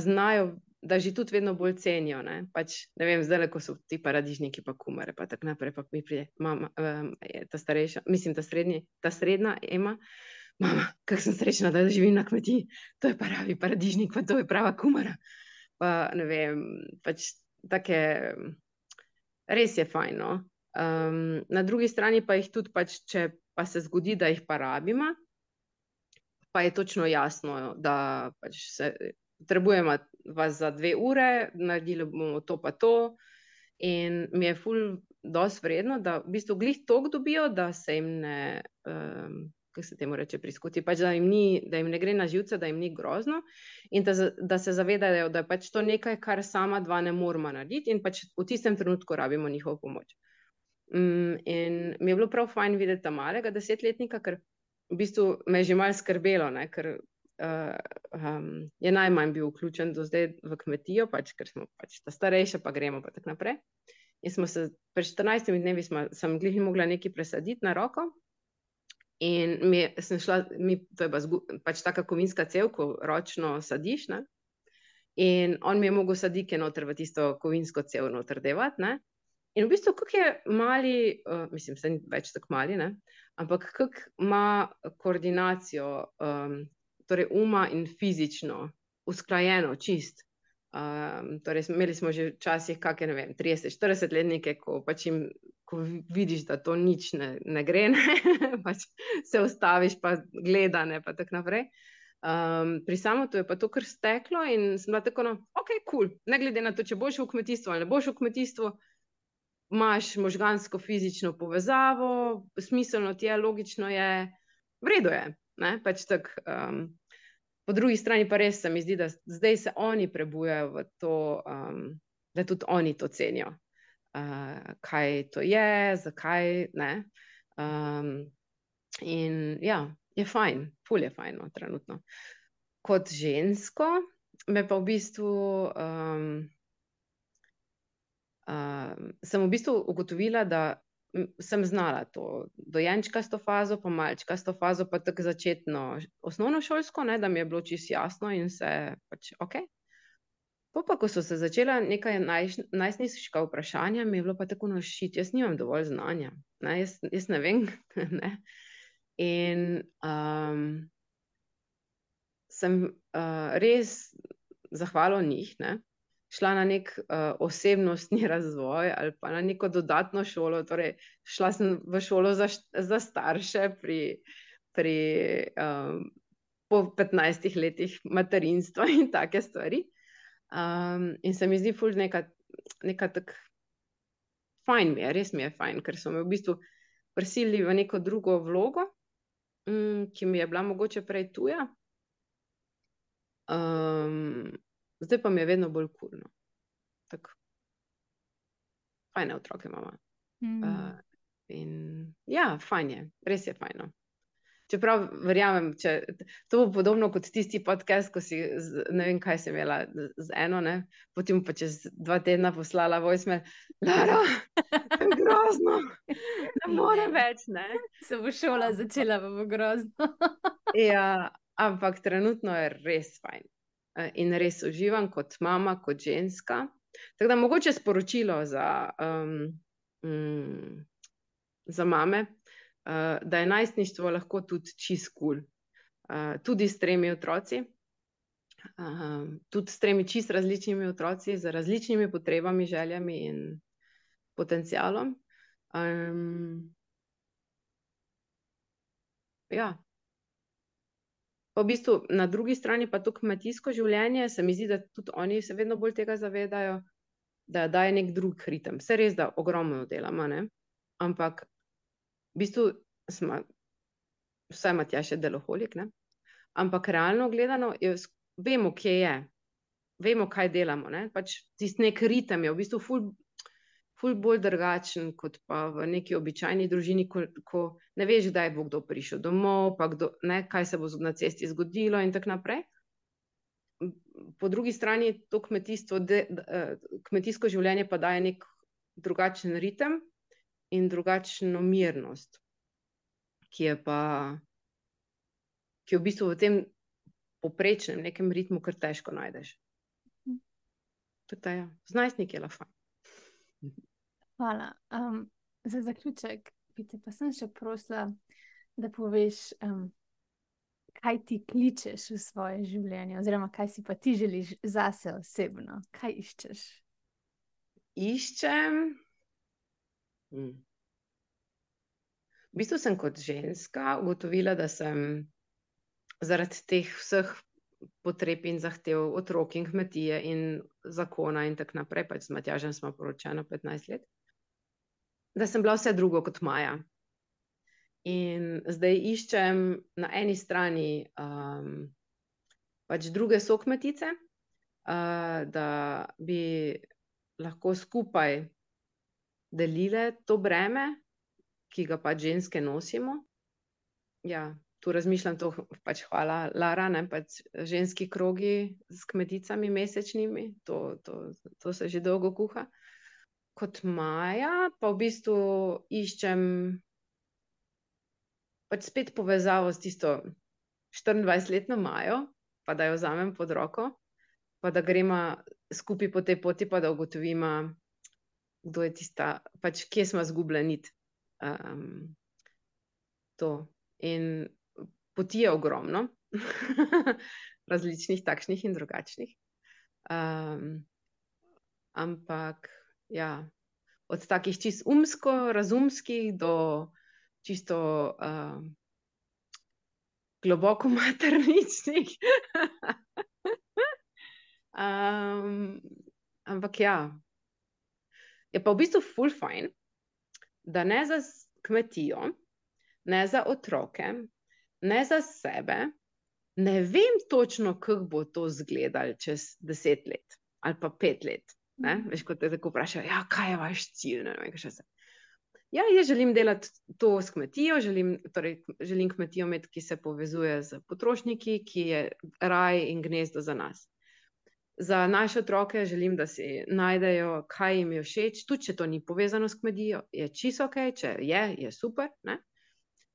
znajo, da že tudi vedno bolj cenijo, ne. Pač, ne vem, zdajle, ko so ti paradižniki pa kumare, pa tako naprej, pa mi pride mama, ta starejša, mislim, ta srednja Ema, mama, kako sem srečna, da živim na kmetiji, to je pravi paradižnik, pa to je prava kumara. Pa ne vem, pač take, res je fajn, no. Na drugi strani pa jih tudi pač, če pa se zgodi, da jih pa rabimo, pa je točno jasno, da pač potrebujemo vas za 2 ure, naredili bomo to pa to in mi je ful dosti vredno, da v bistvu glih toliko dobijo, da se jim ne, kako se temu reče, priskuti, pač da jim ne gre na živce, da jim ni grozno in da se zavedajo, da je pač to nekaj, kar sama dva ne moremo narediti in pač v tistem trenutku rabimo njihovo pomoč. In mi je bilo prav fajn videti ta malega 10-letnika, ker v bistvu me je že malo skrbelo, ne, ker je najmanj bil vključen do zdaj v kmetijo, pač, ker smo pač ta starejša, pa gremo pa tako naprej. In smo se, pred 14 dnevi sem glih mogla nekaj presaditi na roko in sem šla, to je pač taka kovinska cev, ko ročno sadiš, ne, in on mi je mogel sadike noter v tisto kovinsko cev noter devati, ne. In v bistvu, kako je mali, mislim, saj ni več tako mali, ne, ampak kako ima koordinacijo, torej uma in fizično usklajeno čist. Torej imeli smo že včasih kake, ne vem, 30-40-letnike, ko pač ko vidiš, da to nič ne gre, ne, pač se ustaviš pa gleda, ne, pa tako naprej. Pri Samotu je pa to kar steklo in sem bila tako, no, okej, kul, ne glede na to, če boš v kmetijstvu ali ne boš v kmetijstvu, imaš možgansko fizično povezavo, smiselno ti je, logično je, v redu je, ne, pač tako. Po drugi strani pa res se mi zdi, da zdaj se oni prebujajo v to, da tudi oni to cenijo. Kaj to je, zakaj, ne. In ja, je fajn, ful je fajn, no, trenutno. Kot žensko me pa v bistvu sem v bistvu ugotovila, da sem znala to dojenčkasto fazo, pa malčkasto fazo, pa tako začetno osnovnošolsko, ne, da mi je bilo čisto jasno in se pač okej. Pol pa, ko so se začela neka najstniška vprašanja, mi je bilo pa tako, no, šit, jaz nimam dovolj znanja, ne, jaz ne vem, ne. In sem res zahvalo njih, ne, šla na nek osebnostni razvoj ali pa na neko dodatno šolo, torej šla sem v šolo za starše po 15 letih materinstva in take stvari. In se mi zdi ful neka tako fajn mi je, res mi je fajn, ker so me v bistvu prisilili v neko drugo vlogo, ki mi je bila mogoče prej tuja. Zdaj pa mi je vedno bolj kurno. Tako, fajne otroke imamo. In ja, fajn je, res je fajno. Čeprav verjamem, to bo podobno kot tisti podcast, ko si, ne vem, kaj sem imela z eno, ne, potem pa čez 2 tedna poslala voicemail, Lara, to je grozno, ne more več, ne. Se bo šola začela, pa bo grozno. Ja, ampak trenutno je res fajn. In res uživam kot mama, kot ženska. Tako da mogoče sporočilo za mame, da je najstništvo lahko tudi čist cool. Tudi s 3 otroci, tudi s 3 čist različnimi otroci, z različnimi potrebami, željami in potencialom. Ja. Pa v bistvu na drugi strani pa to kmetijsko življenje, se mi zdi, da tudi oni se vedno bolj tega zavedajo, da daje nek drug ritem. Vse res, da ogromno delamo, ne? Ampak v bistvu vsaj Matjaž je deloholik, ne? Ampak realno gledano, vemo, kje je. Vemo, kaj delamo, ne? Pač tisti nek ritem je v bistvu ful bolj drugačen, kot pa v neki običajni družini, ko ne veš, kdaj bo kdo prišel domov, pa kaj se bo na cesti zgodilo in tako naprej. Po drugi strani to kmetijsko življenje pa daje nek drugačen ritem in drugačno mirnost, ki je v bistvu v tem povprečnem nekem ritmu kar težko najdeš. Tudi ja, z najstniki je lahko. Hvala. Za zaključek bi te pa sem še prosila, da poveš, kaj ti kličeš v svoje življenje, oziroma kaj si pa ti želiš zase osebno, kaj iščeš? Iščem. V bistvu sem kot ženska ugotovila, da sem zaradi teh vseh potreb in zahtev otrok in kmetije in zakona in tako naprej, pač z Matjažem smo poročena 15 let, da sem bila vse drugo kot Maja. In zdaj iščem na eni strani pač druge sokmetice, da bi lahko skupaj delile to breme, ki ga pač ženske nosimo. Ja, tu razmišljam to, pač hvala Lara, ne, pač ženski krogi s kmeticami mesečnimi, to se že dolgo kuha. Kot Maja pa v bistvu iščem pač spet povezavo s tisto 24-letno Majo, pa da jo vzamem pod roko, pa da gremo skupaj po tej poti, pa da ugotovimo, kdo je tista, pač kje smo izgubili nit. To. In poti je ogromno, različnih, takšnih in drugačnih. Ampak ja, od takih čist razumskih do čisto globoko materničnih. Ampak ja, je pa v bistvu ful fajn, da ne za kmetijo, ne za otroke, ne za sebe, ne vem točno, kako bo to izgledalo čez 10 let ali pa 5 let. Ne? Veš, ko te tako vprašajo, ja, kaj je vaš cilj? Ne vem, kaj še se. Ja, jaz želim delati to s kmetijo, želim kmetijo imeti, ki se povezuje z potrošniki, ki je raj in gnezdo za nas. Za naše otroke želim, da si najdejo, kaj jim je všeč, tudi če to ni povezano s kmetijo, je čisto ok, če je super, ne?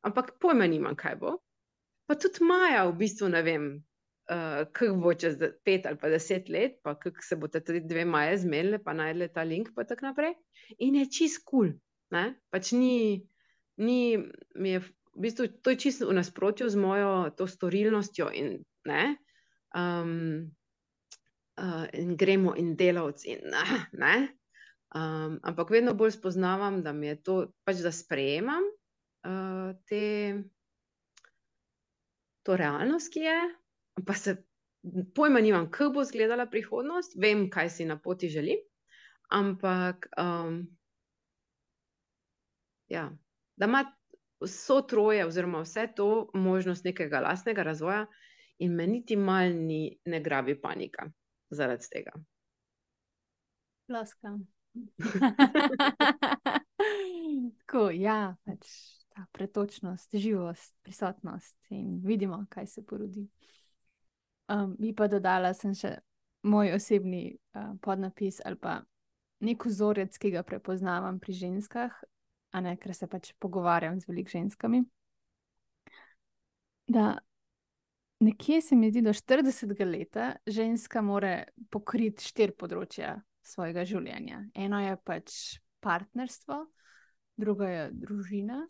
Ampak pojma nimam, kaj bo. Pa tudi Maja v bistvu ne vem, kako bo čez 5 ali pa 10 let, pa kako se boste tudi 2 Maje zmenile, pa najdele ta link, pa tako naprej. In je čist cool, ne? Pač mi je, v bistvu, to je čisto v nasprotju z mojo to storilnostjo in ne, in gremo in delavci in ne, ampak vedno bolj spoznavam, da mi je to, pač da sprejemam to realnost, ki je, pa se pojma nimam, kako bo izgledala prihodnost, vem, kaj si na poti želim, ampak ja, da ima vso troje oziroma vse to možnost nekega lastnega razvoja in me niti mal ne grabi panika zaradi tega. Ploskam. Tako, ja, pač ta pretočnost, živost, prisotnost in vidimo, kaj se porodi. Mi pa dodala sem še moj osebni podnapis ali pa nek vzorec, ki ga prepoznavam pri ženskah, a ne, ker se pač pogovarjam z veliko ženskami. Da nekje se mi zdi, do 40. leta ženska mora pokriti 4 področja svojega življenja. Eno je pač partnerstvo, drugo je družina,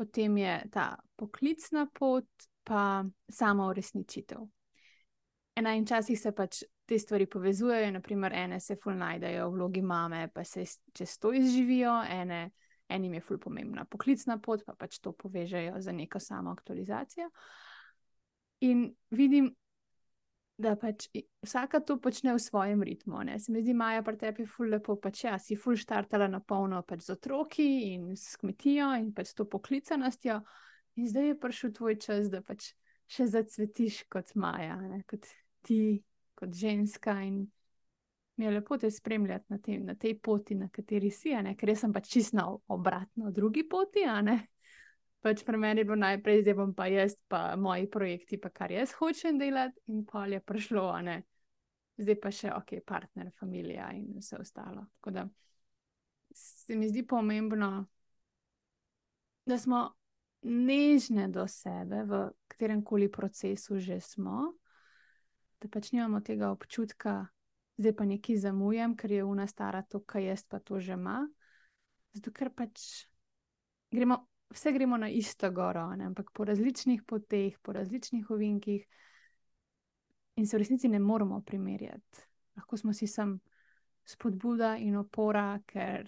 potem je ta poklicna pot, pa sama uresničitev. In včasih se pač te stvari povezujejo, naprimer ene se ful najdejo v vlogi mame, pa se čez to izživijo, enim je ful pomembna poklicna pot, pa pač to povežejo za neko samo aktualizacijo. In vidim, da pač vsaka to počne v svojem ritmu. Ne? Se mi zdi, Maja, pri tebi ful lepo, pač ja, si ful štartala na polno pač z otroki in s kmetijo in pač s to poklicanostjo. In zdaj je prišel tvoj čas, da pač še zacvetiš kot Maja, ne? Kot ti, kot ženska. In mi je lepo te spremljati na tej poti, na kateri si, ker jaz sem pač čisto obratno drugi poti, Pač pri meni je bilo najprej, zdaj bom pa jaz, pa moji projekti, pa kar jaz hočem delati, in pol je prišlo, zdaj pa še, ok, partner, familija in vse ostalo. Tako da se mi zdi pomembno, da smo nežne do sebe, v katerem koli procesu že smo, da pač nimamo tega občutka, zdaj pa nekaj zamujam, ker je ona stara to, kaj jaz pa to že ima. Zato ker pač vse gremo na isto goro, ampak po različnih poteh, po različnih ovinkih in se v resnici ne moramo primerjati. Lahko smo si sam spodbuda in opora, ker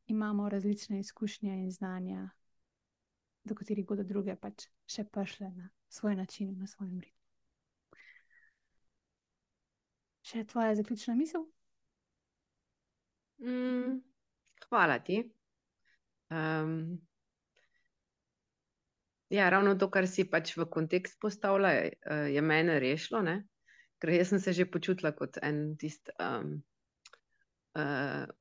imamo različne izkušnje in znanja, do katerih bodo druge pač še prišle na svoj način, na svojem ritmu. Še tvoja zaključna misel? Hvala ti. Ja, ravno to, kar si pač v kontekst postavila, je mene rešilo, ne? Ker jaz sem se že počutila kot en tist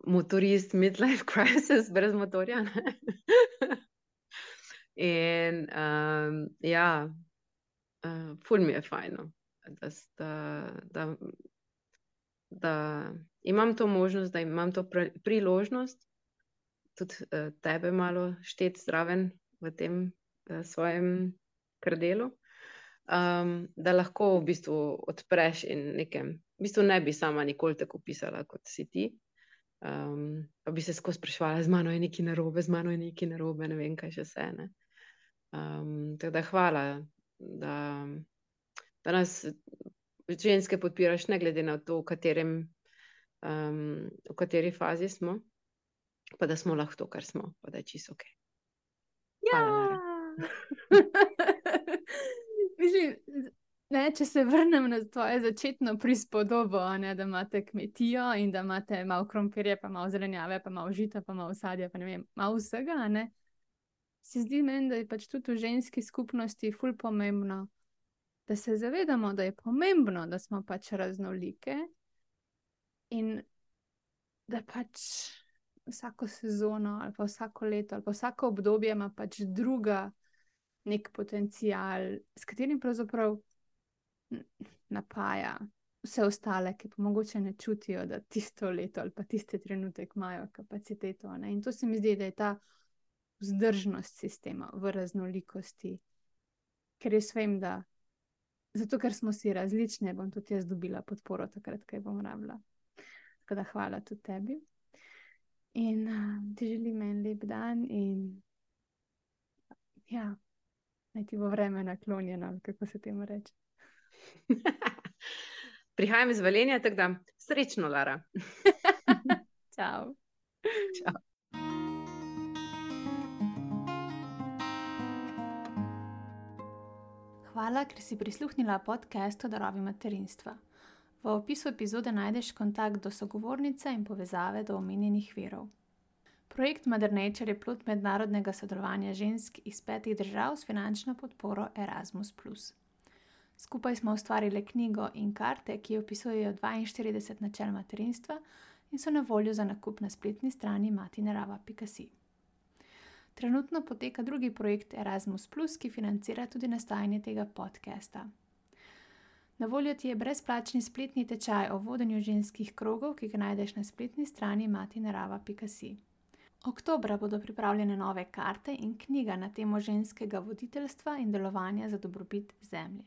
motorist midlife crisis brez motorja. In ja, ful mi je fajno, da imam to možnost, da imam to priložnost, tudi tebe malo šteti zraven v tem svojem krdelu, da lahko v bistvu odpreš in nekem, v bistvu ne bi sama nikoli tako pisala, kot si ti, pa bi se skozi spraševala, z mano je nekaj narobe, z mano je nekaj narobe, ne vem, kaj še vse, ne. Tako da hvala, da nas ženske podpiraš, ne glede na to, v kateri fazi smo, pa da smo lahko to, kar smo, pa da je čisto ok. Hvala, Lara. Mislim, če se vrnem na tvoje začetno prispodobo, da imate kmetijo in da imate malo krompirja, pa malo zelenjave, pa malo žita, pa malo sadja, pa ne vem, malo vsega, se zdi meni, da je pač tudi v ženski skupnosti ful pomembno, da se zavedamo, da je pomembno, da smo pač raznolike in da pač vsako sezono ali pa vsako leto ali pa vsako obdobje ima pač druga nek potencial, s katerim pravzaprav napaja vse ostale, ki pa mogoče ne čutijo, da tisto leto ali pa tiste trenutek imajo kapaciteto. In to se mi zdi, da je ta vzdržnost sistema v raznolikosti, ker jaz vem, da zato, ker smo si različne, bom tudi jaz dobila podporo takrat, kaj bom rabila. Tako da hvala tudi tebi. In ti želim en lep dan in ja, naj ti bo vreme naklonjeno, kako se temu reče. Prihajam iz Velenja, tako da srečno, Lara. Čau. Čau. Hvala, ker si prisluhnila podcastu Darovi materinstva. V opisu epizode najdeš kontakt do sogovornice in povezave do omenjenih virov. Projekt Mother Nature je plod mednarodnega sodelovanja žensk iz 5 držav s finančno podporo Erasmus+. Skupaj smo ustvarili knjigo in karte, ki opisujejo 42 načel materinstva in so na voljo za nakup na spletni strani matinarava.si. Trenutno poteka drugi projekt Erasmus+, ki financira tudi nastajanje tega podcasta. Na voljo ti je brezplačni spletni tečaj o vodenju ženskih krogov, ki ga najdeš na spletni strani matinarava.si. Oktobra bodo pripravljene nove karte in knjiga na temo ženskega voditeljstva in delovanja za dobrobit zemlje.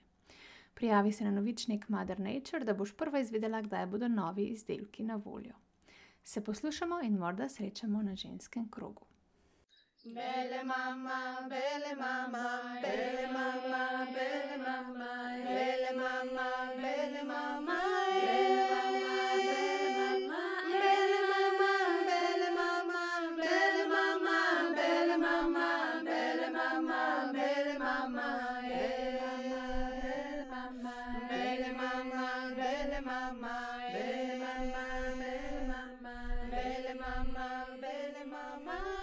Prijavi se na novičnik Mother Nature, da boš prva izvedela, kdaj bodo novi izdelki na voljo. Se poslušamo in morda srečamo na ženskem krogu. Bele mama, bele mama, bele mama, bele mama, bele mama, bele mama, bele mama, bele mama, bele mama, bele mama, bele mama, bele mama, bele mama, bele mama, bele mama, bele mama, bele mama, bele mama, bele mama, bele mama.